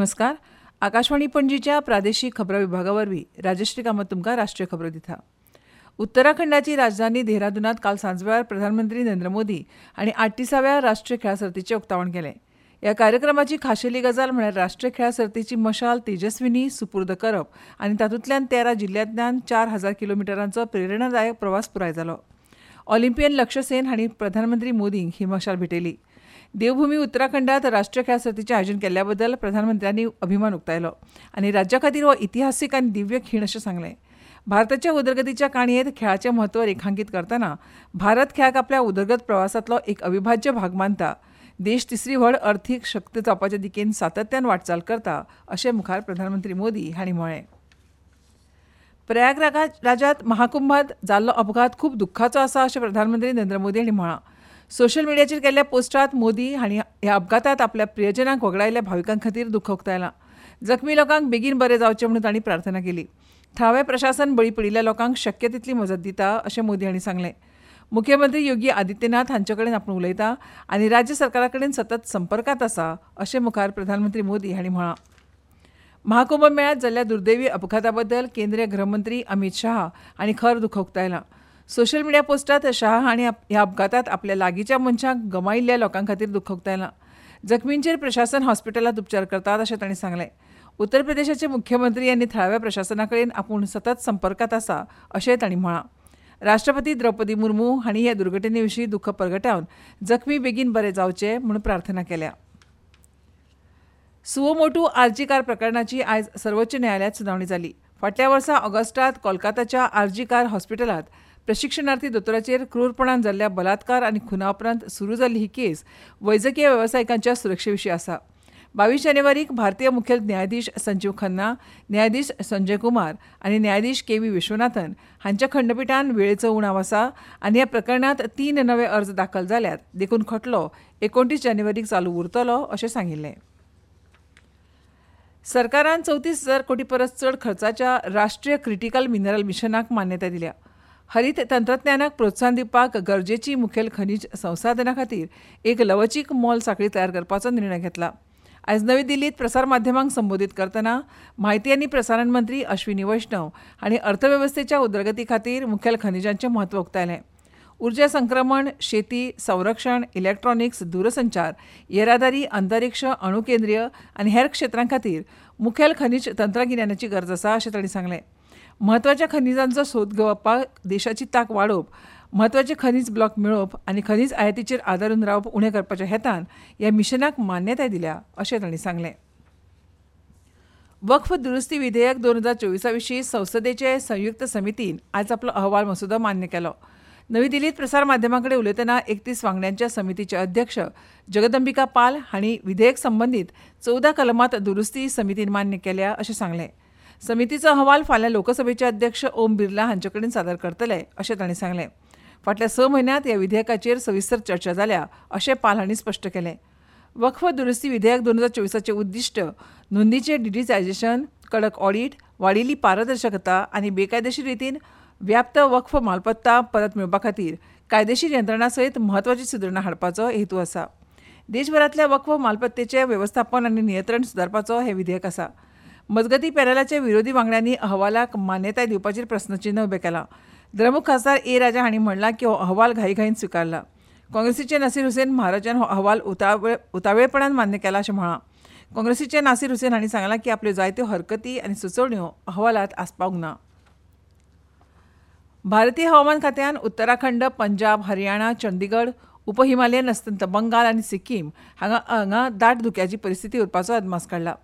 नमस्कार. आकाशवाणी पणजीच्या प्रादेशीक खबरां विभागा वरवीं राजश्री कामत तुमकां राष्ट्रीय खबरो दिता. उत्तराखंडाची राजधानी देहरादूनात काल सांजवेळार प्रधानमंत्री नरेंद्र मोदी हांणी 38व्या राष्ट्रीय खेळां सर्तीचें उक्तावण केलें. ह्या कार्यक्रमाची खाशेली गजाल म्हळ्यार राष्ट्रीय खेळां सर्तीची मशाल तेजस्विनी सुपूर्द करप आनी तातूंतल्यान 13 जिल्ल्यांतल्यान 4000 किलोमिटरांचो प्रेरणादायक प्रवास पुराय जालो. ऑलिम्पियन लक्ष्य सेन हांणी प्रधानमंत्री मोदींक ही मशाल भेटयली. देवभूमी उत्तराखंडात राष्ट्रीय खेळां सर्तीचें आयोजन केल्ल्या बद्दल प्रधानमंत्र्यांनी अभिमान उक्तायलो आनी राज्या खातीर हो इतिहासीक आनी दिव्य खीण अशें सांगलें. भारताच्या उदरगतीच्या काणयेंत खेळाचें म्हत्व रेखांकीत करतना भारत खेळाक आपल्या उदरगत प्रवासांतलो एक अविभाज्य भाग मानता. देश तिसरी व्हड अर्थीक शक्त जावपाच्या दिकेन सातत्यान वाटचाल करता अशें मुखार प्रधानमंत्री मोदी हांणी म्हळें. प्रयागराजात महाकुंभात जाल्लो अपघात खूब दुख्खाचो आसा अशें प्रधानमंत्री नरेंद्र मोदी हांणी म्हळां. सोशल मिडियाचेर केल्ल्या पोस्टात मोदी हांणी ह्या अपघातांत आपल्या प्रियजनांक वगडायल्ल्या भाविकां खातीर दुख्ख उक्तायलां. जखमी लोकांक बेगीन बरे जावचे म्हणून तांणी प्रार्थना केली. थळावें प्रशासन बळी पडिल्ल्या लोकांक शक्य तितली मजत दिता अशें मोदी हांणी सांगलें. मुख्यमंत्री योगी आदित्यनाथ हांचे कडेन आपूण उलयता आनी राज्य सरकारा कडेन सतत संपर्कांत आसा अशें मुखार प्रधानमंत्री मोदी हांणी म्हळां. महाकुंभ मेळ्यांत जाल्ल्या दुर्दैवी अपघाता बद्दल केंद्रीय गृहमंत्री अमित शहा हांणी खर दुख्ख उक्तायलां. सोशल मिडिया पोस्टात शहा हांणी ह्या अपघातांत आपल्या लागींच्या मनशांक गमायिल्ल्या लोकां खातीर दुख्ख उक्तायलां. जखमींचेर प्रशासन हॉस्पिटलांत उपचार करतात अशें तांणी सांगलें. उत्तर प्रदेशाचे मुख्यमंत्री आनी थळाव्या प्रशासना कडेन आपूण सतत संपर्कांत आसा अशेंय तांणी म्हळां. राष्ट्रपती द्रौपदी मुर्मू हांणी ह्या दुर्घटने विशीं दुख्ख परगटावन जखमी बेगीन बरे जावचे म्हूण प्रार्थना केल्या. सुओ मोटू आरजी कार प्रकरणाची आयज सर्वोच्च न्यायालयांत सुनावणी जाली. फाटल्या वर्सा ऑगस्टात कोलकाताच्या आरजी कार हॉस्पिटलांत प्रशिक्षणार्थी दोतोराचेर क्रूरपणान जाल्ल्या बलात्कार आनी खुना उपरांत सुरू जाल्ली ही केस वैजकीय वेवसायिकांच्या सुरक्षे विशीं आसा. 22 जानेवारीक भारतीय मुखेल न्यायाधीश संजीव खन्ना, न्यायाधीश संजय कुमार आनी न्यायाधीश के व्ही विश्वनाथन हांच्या खंडपिठान वेळेचो उणाव आसा आनी ह्या प्रकरणांत 3 नवे अर्ज दाखल जाल्यात देखून खटलो 29 जानेवारीक चालू उरतलो अशें सांगिल्लें. सरकारान 34,000 कोटी परस चड खर्चाच्या राष्ट्रीय क्रिटिकल मिनरल मिशनाक मान्यताय दिल्या. हरीत तंत्रज्ञानाक प्रोत्साहन दिवपाक गरजेची मुखेल खनीज संसाधना खातीर एक लवचीक मोल साखळी तयार करपाचो निर्णय घेतला. आयज नवी दिल्लीत प्रसार माध्यमांक संबोधीत करतना म्हायती आनी प्रसारण मंत्री अश्विनी वैष्णव हांणी अर्थवेवस्थेच्या उदरगती खातीर मुखेल खनिजांचें म्हत्व उक्तायलें. उर्जा संक्रमण, शेती, संरक्षण, इलेक्ट्रॉनिक्स, दूरसंचार, येरादारी, अंतरिक्ष, अणुकेंद्रीय आनी हेर क्षेत्रां खातीर मुखेल खनीज तंत्रगिन्यानाची गरज आसा अशें तांणी सांगलें. म्हत्वाच्या खनिजांचो सोद घेवपाक देशाची तांक वाडोवप, म्हत्वाचे खनीज ब्लॉक मेळोवप आनी खनीज आयातीचेर आदारून रावप उणें करपाच्या हेतान ह्या मिशनाक मान्यताय दिल्या अशें तांणी सांगलें. वक्फ दुरुस्ती विधेयक 2024 विशीं संसदेचे संयुक्त समितीन आयज आपलो अहवाल मसुदो मान्य केलो. नवी दिल्लीत प्रसार माध्यमां कडेन उलयतना 31 वांगड्यांच्या समितीचे अध्यक्ष जगदंबिका पाल हांणी विधेयक संबंदीत 14 कलमांत दुरुस्ती समितीन मान्य केल्या अशें सांगलें. समितीचो अहवाल फाल्यां लोकसभेचे अध्यक्ष ओम बिर्ला हांचे कडेन सादर करतले अशें तांणी सांगलें. फाटल्या 6 म्हयन्यांत ह्या विधेयकाचेर सविस्तर चर्चा जाल्या अशें पाल हांणी स्पश्ट केलें. वक्फ दुरुस्ती विधेयक 2024 उद्दिश्ट नोंदीचें डिजिटायझेशन, कडक ऑडिट, वाडिल्ली पारदर्शकता आनी बेकायदेशीर रितीन व्याप्त वक्फ मालमत्ता परत मेळोवपा खातीर कायदेशीर यंत्रणा सयत म्हत्वाची सुदारणा हाडपाचो हेतू आसा. देशभरांतल्या वक्फ मालमत्तेचें वेवस्थापन आनी नियंत्रण सुदारपाचो हें विधेयक आसा. मजगतीं पॅनलाच्या विरोधी वांगड्यांनी अहवालाक मान्यताय दिवपाचेर प्रस्नचिन्ह उबें केलां. द्रमुक खासदार ए राजा हांणी म्हणलां की हो अहवाल घाईघाईन स्विकारला. काँग्रेसीचे नासीर हुसेन महाराजान हो अहवाल उतावेळपणान मान्य केला अशें म्हळां. काँग्रेसीचे नासीर हुसेन हांणी सांगलां की आपल्यो जायत्यो हरकती आनी सुचोवण्यो अहवालांत आसपावंक ना. भारतीय हवामान खात्यान उत्तराखंड, पंजाब, हरियाणा, चंदीगड, उप हिमालयन अस्तंत बंगाल आनी सिक्कीम हांगा दाट धुक्याची परिस्थिती उरपाचो अदमास काडला.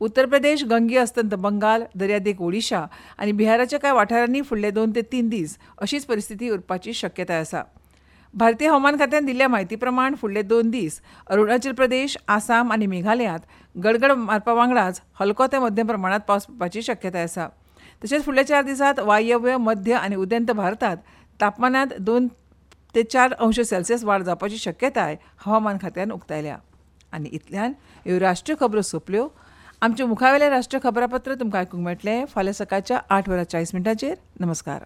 उत्तर प्रदेश, गंगे अस्तंत बंगाल, दर्यादेग ओडिशा आनी बिहाराच्या कांय वाठारांनी फुडले 2 ते 3 दीस अशीच परिस्थिती उरपाची शक्यताय आसा. भारतीय हवामान खात्यान दिल्ल्या म्हायती प्रमाण फुडले 2 दीस अरुणाचल प्रदेश, आसाम आनी मेघालयांत गडगड मारपा वांगडाच हलको ते मध्यम प्रमाणांत पावस पडपाची शक्यताय आसा. तशेंच फुडल्या 4 दिसांत वायव्य, मध्य आनी उदेंत भारतांत तापमानांत 2 ते 4 अंश सेल्सियस वाड जावपाची शक्यताय हवामान खात्यान उक्तायल्या. आनी इतल्यान ह्यो राष्ट्रीय खबरो सोंपल्यो. आमच्या मुखावेलें राष्ट्रीय खबरापत्र तुमकां आयकूंक मेळटलें फाल्यां सकाळच्या 8:40. नमस्कार.